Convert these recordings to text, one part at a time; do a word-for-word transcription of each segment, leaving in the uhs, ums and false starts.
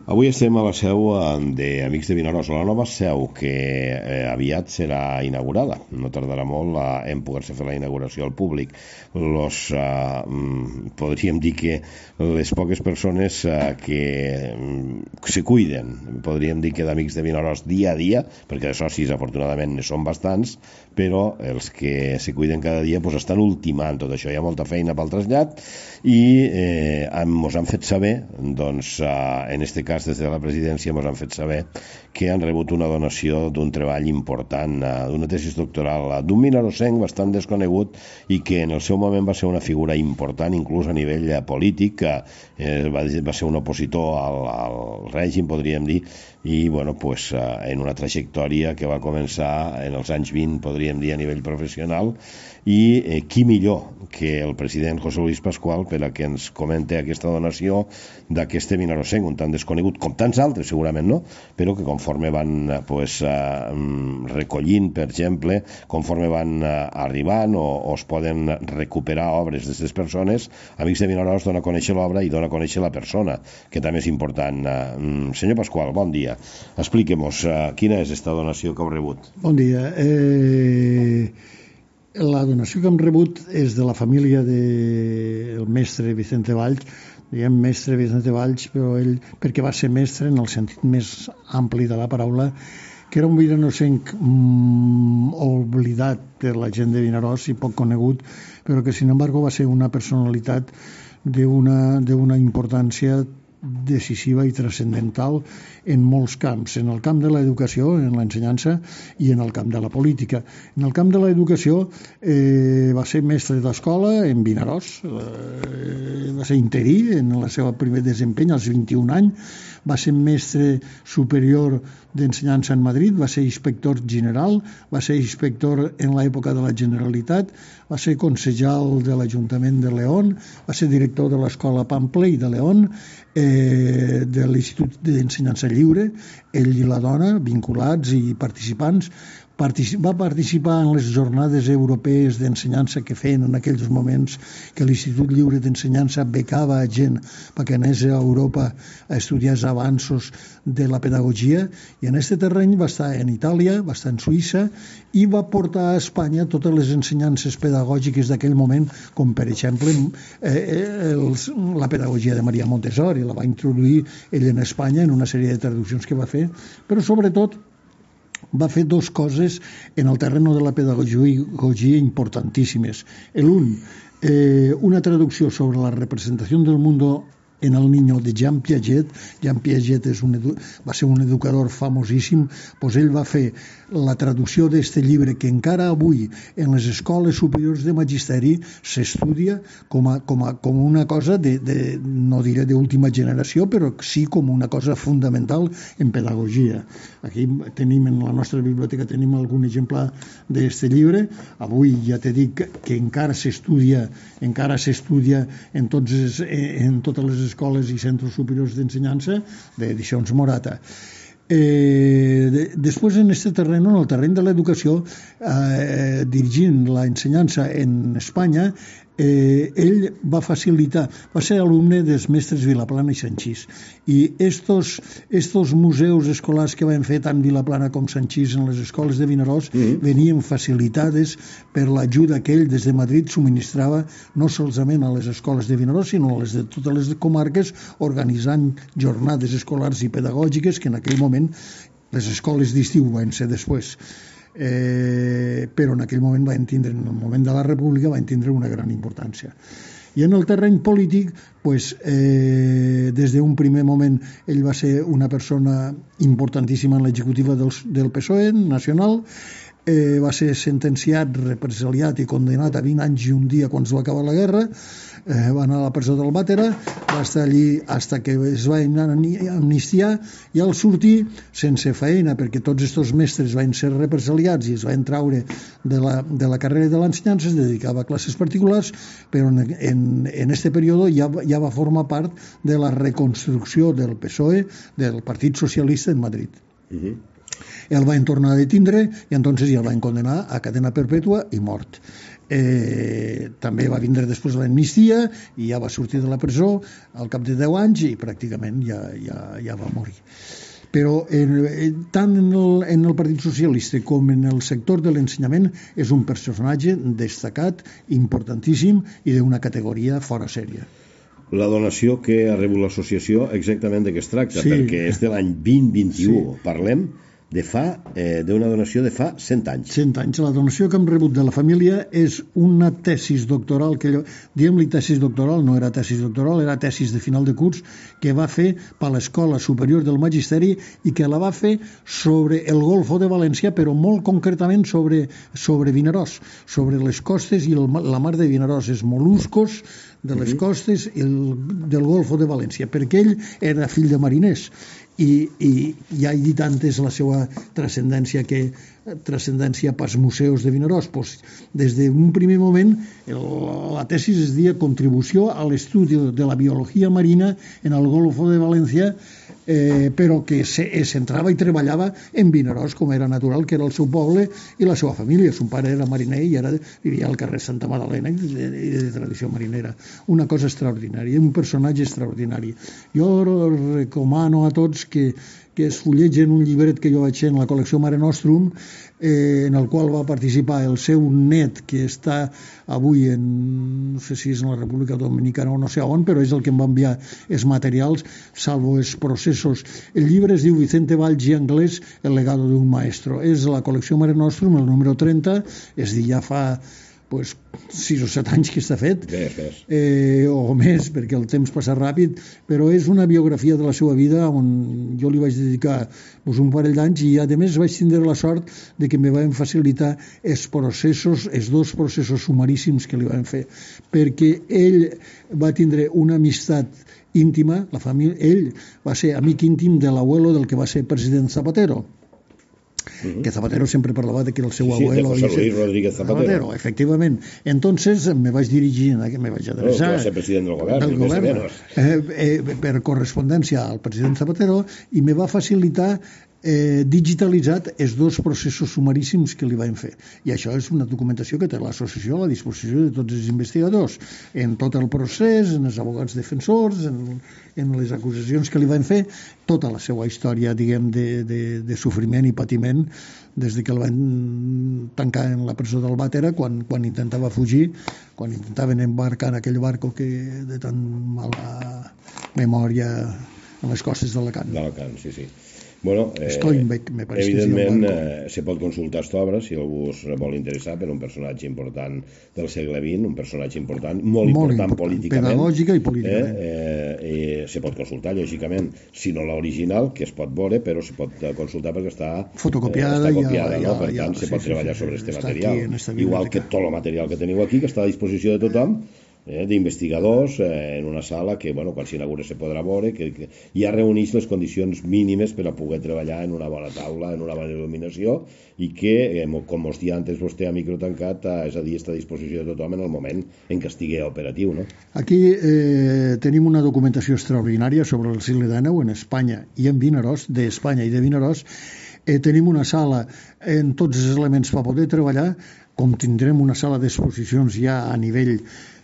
Avui estem a la seu d'Amics de Vinaròs, la nova seu que eh, aviat serà inaugurada. No tardarà molt a, en poder-se fer la inauguració al públic. Los, eh, podríem dir que les poques persones eh, que mm, se cuiden, podríem dir que d'Amics de Vinaròs dia a dia, perquè de socis afortunadament ne són bastants, però els que se cuiden cada dia pues, estan ultimant tot això. Hi ha molta feina pel trasllat i eh, ens han fet saber, doncs, eh, en este cas des de la presidència ens han fet saber que han rebut una donació d'un treball important, eh, d'una tesis doctoral eh, d'un vinarossenc bastant desconegut i que en el seu moment va ser una figura important inclús a nivell eh, polític, eh, va, va ser un opositor al, al règim, podríem dir, i bueno, pues, eh, en una trajectòria que va començar en els anys vint, podríem dir, a nivell professional, i eh, qui millor que el president José Luis Pascual per a que ens comente aquesta donació d'aquest vinarossenc, un tant desconegut com tants altres segurament, no? Però que conforme van pues, eh, recollint, per exemple, conforme van eh, arribant o, o es poden recuperar obres d'aquestes persones, Amics de Vinaròs dona a conèixer l'obra i dona a conèixer la persona, que també és important. Eh, senyor Pascual, bon dia. Expliquem-nos eh, quina és aquesta donació que heu rebut. Bon dia. Eh... La donació que hem rebut és de la família del mestre Vicente Valls, diguem mestre Vicente Valls, però ell, perquè va ser mestre en el sentit més ampli de la paraula, que era un vinarossenc mm, oblidat per la gent de Vinaròs i poc conegut, però que, sin embargo, va ser una personalitat d'una d'una importància decisiva i transcendental en molts camps, en el camp de l'educació, en l'ensenyança i en el camp de la política. En el camp de l'educació eh, va ser mestre d'escola en Vinaròs, eh, va ser interí en el seu primer desempenyament als vint-i-un anys, va ser mestre superior d'ensenyança en Madrid, va ser inspector general, va ser inspector en l'època de la Generalitat, va ser consellal de l'Ajuntament de León, va ser director de l'Escola Pampley de León, eh, de l'Institut d'Ensenyança Lliure, ell i la dona, vinculats i participants. Particip- va participar en les jornades europees d'ensenyança que feien en aquells moments, que l'Institut Lliure d'Ensenyança becava a gent perquè anés a Europa a estudiar els avanços de la pedagogia, i en aquest terreny va estar en Itàlia, va estar en Suïssa i va portar a Espanya totes les ensenyances pedagògiques d'aquell moment, com per exemple eh, els, la pedagogia de Maria Montessori, la va introduir ell en Espanya en una sèrie de traduccions que va fer, però sobretot va fer dos coses en el terreno de la pedagogia importantíssimes. L'un, eh, una traducció sobre la representació del mundo en el niño de Jean Piaget. Jean Piaget és un edu- va ser un educador famosíssim, doncs ell va fer la traducció d'aquest llibre que encara avui en les escoles superiors de magisteri s'estudia com, a, com, a, com una cosa de, de, no diré d'última generació, però sí com una cosa fundamental en pedagogia. Aquí tenim en la nostra biblioteca tenim algun exemple d'aquest llibre. Avui ja t'he dit que, que encara s'estudia encara s'estudia en, tots, en totes les escoles i centres superiors d'ensenyança d'edicions Morata. Eh, de, després en aquest terreny, en el terreny de l'educació, eh, dirigint l'ensenyança en Espanya, eh, ell va facilitar, va ser alumne dels mestres Vilaplana i Sanchís, i estos, estos museus escolars que van fer tant Vilaplana com Sanchís en les escoles de Vinaròs mm-hmm. venien facilitades per l'ajuda que ell des de Madrid subministrava no solament a les escoles de Vinaròs sinó a les de totes les comarques, organitzant jornades escolars i pedagògiques que en aquell moment les escoles d'estiu van ser després. Eh, però en aquell moment van tindre, en el moment de la República van tindre una gran importància. I en el terreny polític, pues, eh, des d'un primer moment ell va ser una persona importantíssima en l'executiva del, del P S O E nacional, eh, va ser sentenciat, represaliat i condenat a vint anys i un dia quan es va acabar la guerra, eh, va anar a la presó del Bàtera, va estar allí fins que es va amnistiar, i al sortir sense feina, perquè tots aquests mestres van ser represaliats i es van treure de la, de la carrera de l'ensenyança, es dedicava a classes particulars, però en, en, en este període ja, ja va formar part de la reconstrucció del P S O E, del Partit Socialista en Madrid. Uh-huh. El van tornar a detindre i entonces ja el van condenar a cadena perpètua i mort. Eh, també va vindre després l'amnistia i ja va sortir de la presó al cap de deu anys i pràcticament ja, ja, ja va morir. Però eh, tant en el, en el Partit Socialista com en el sector de l'ensenyament és un personatge destacat, importantíssim i d'una categoria fora sèria. La donació que ha rebut l'associació exactament de què es tracta, sí. Perquè és de l'any vint vint u, sí. Parlem de fa, eh, d'una donació de fa cent anys. cent anys. La donació que hem rebut de la família és una tesis doctoral, que diem-li tesis doctoral, no era tesis doctoral, era tesis de final de curs, que va fer per l'Escola Superior del Magisteri i que la va fer sobre el Golfo de València, però molt concretament sobre, sobre Vinaròs, sobre les costes i el, la mar de Vinaròs, els moluscos de les costes i el, del Golfo de València, perquè ell era fill de mariners. I, i ja he dit antes la seva transcendència que transcendència pels museus de Vinaròs. Pues, des d'un primer moment el, la tesi es deia Contribució a l'estudi de la biologia marina en el Golfo de València, eh, però que se centrava i treballava en Vinaròs, com era natural, que era el seu poble i la seva família. Son pare era mariner i ara vivia al carrer Santa Magdalena i de, de tradició marinera. Una cosa extraordinària, un personatge extraordinari. Jo recomano a tots que que es fullegen un llibret que jo vaig fer en la col·lecció Mare Nostrum, eh, en el qual va participar el seu net, que està avui en, no sé si és en la República Dominicana o no sé on, però és el que em va enviar els materials, salvo els processos. El llibre es diu Vicente Valls i Anglès, el legado d'un maestro. És la col·lecció Mare Nostrum, el número trenta, és dir, ja fa pues, sis o set anys que està fet, Ves, ves. Eh, o més, perquè el temps passa ràpid, però és una biografia de la seva vida on jo li vaig dedicar pues, un parell d'anys i a més vaig tindre la sort de que me van facilitar els processos, els dos processos sumaríssims que li van fer, perquè ell va tindre una amistat íntima, la família, ell va ser amic íntim de l'abuelo del que va ser president Zapatero. Uh-huh. Que Zapatero sempre parlava de que el seu sí, abuelo... Sí, de José Luis Rodríguez Zapatero. Zapatero, efectivament. Entonces me vaig dirigir, me vaig adreçar... No, va ser president del govern, del govern eh, eh, per correspondència al president Zapatero i me va facilitar eh, digitalitzat els dos processos sumaríssims que li van fer. I això és una documentació que té l'associació a la disposició de tots els investigadors, en tot el procés, en els advocats defensors, en, en les acusacions que li van fer, tota la seva història, diguem, de, de, de sofriment i patiment des de que el van tancar en la presó del Bàtera quan, quan intentava fugir, quan intentaven embarcar en aquell barco que de tan mala memòria en les costes d'Alacant. D'Alacant, sí, sí. Bueno, eh, Steinbeck, me pareix evidentment eh, se pot consultar aquesta obra si algú es vol interessar per un personatge important del segle vint, un personatge important, molt, molt important, important políticament, pedagògica i políticament eh, eh, eh, se pot consultar lògicament, si no l'original, que es pot veure, però se pot consultar perquè està fotocopiada, eh, està copiada, ja, no? Per ja, tant ja, se sí, pot sí, treballar sí, sobre sí, este està material, aquí, igual que tot el material que teniu aquí, que està a disposició de tothom, eh, d'investigadors eh, en una sala que, bueno, quan s'inaugura se podrà veure, que, que ja reuneix les condicions mínimes per a poder treballar en una bona taula, en una bona il·luminació i que, eh, com us dia antes vostè a micro tancat, eh, és a dir, està a disposició de tothom en el moment en què estigui operatiu, no? Aquí eh, tenim una documentació extraordinària sobre el segle dinou en Espanya i en Vinaròs, d'Espanya i de Vinaròs. Eh, tenim una sala en tots els elements per poder treballar, com tindrem una sala d'exposicions ja a nivell,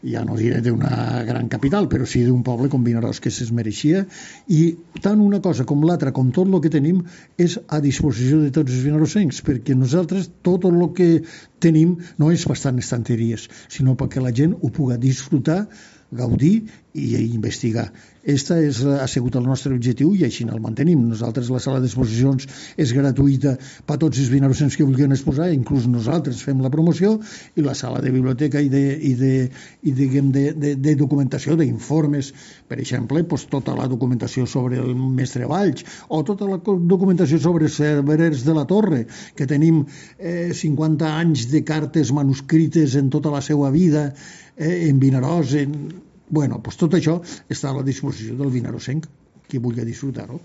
ja no diré d'una gran capital, però sí d'un poble com Vinaròs, que es mereixia, i tant una cosa com l'altra, com tot el que tenim, és a disposició de tots els vinarossencs, perquè nosaltres tot el que tenim no és bastant estanteries, sinó perquè la gent ho pugui disfrutar, gaudir i investigar. Esta és, ha sigut el nostre objectiu i així el mantenim. Nosaltres la sala d'exposicions és gratuïta per a tots els vinarossencs que vulguin exposar, inclús nosaltres fem la promoció, i la sala de biblioteca i de, i de, i diguem, de, de, de documentació, d'informes, per exemple, pues, tota la documentació sobre el mestre Valls o tota la documentació sobre els cerverers de la Torre, que tenim eh, cinquanta anys de cartes manuscrites en tota la seva vida, eh, en Vinaròs, en... Bueno, pues tot això està a la disposició del vinarossenc, qui vulgui disfrutar-ho.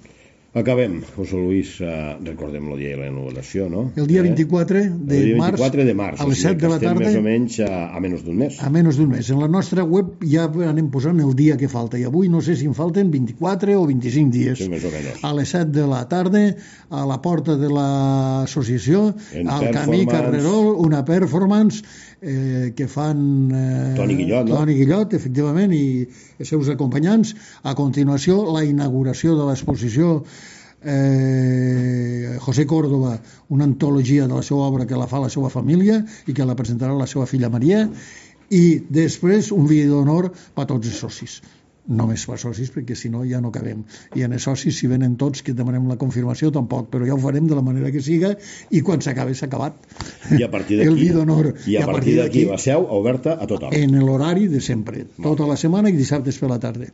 Acabem, José Luis, uh, recordem el dia de la inauguració, no? El dia vint-i-quatre de, el dia març, vint-i-quatre de març, a les set de la tarda, més o menys a, a menys d'un mes. A menys d'un mes. En la nostra web ja anem posant el dia que falta, i avui no sé si en falten vint-i-quatre o vint-i-cinc dies. Sí, més o menys. A les set de la tarda, a la porta de l'associació, al camí Carrerol, una performance eh, que fan eh, Toni Guillot, no? Toni Guillot, efectivament, i els seus acompanyants. A continuació, la inauguració de l'exposició eh, José Córdoba, una antologia de la seva obra que la fa la seva família i que la presentarà la seva filla Maria, i després un vídeo d'honor per tots els socis. Només per socis, perquè si no ja no cabem. I en els socis, si venen tots, que demanem la confirmació, tampoc, però ja ho farem de la manera que siga, i quan s'acabi s'ha acabat. I a partir d'aquí, I a, a partir d'aquí la seu oberta a tothom. En l'horari de sempre, tota la setmana i dissabtes per la tarda.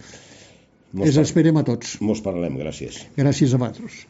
Els esperem a tots. Mos parlem, gràcies. Gràcies a vosaltres.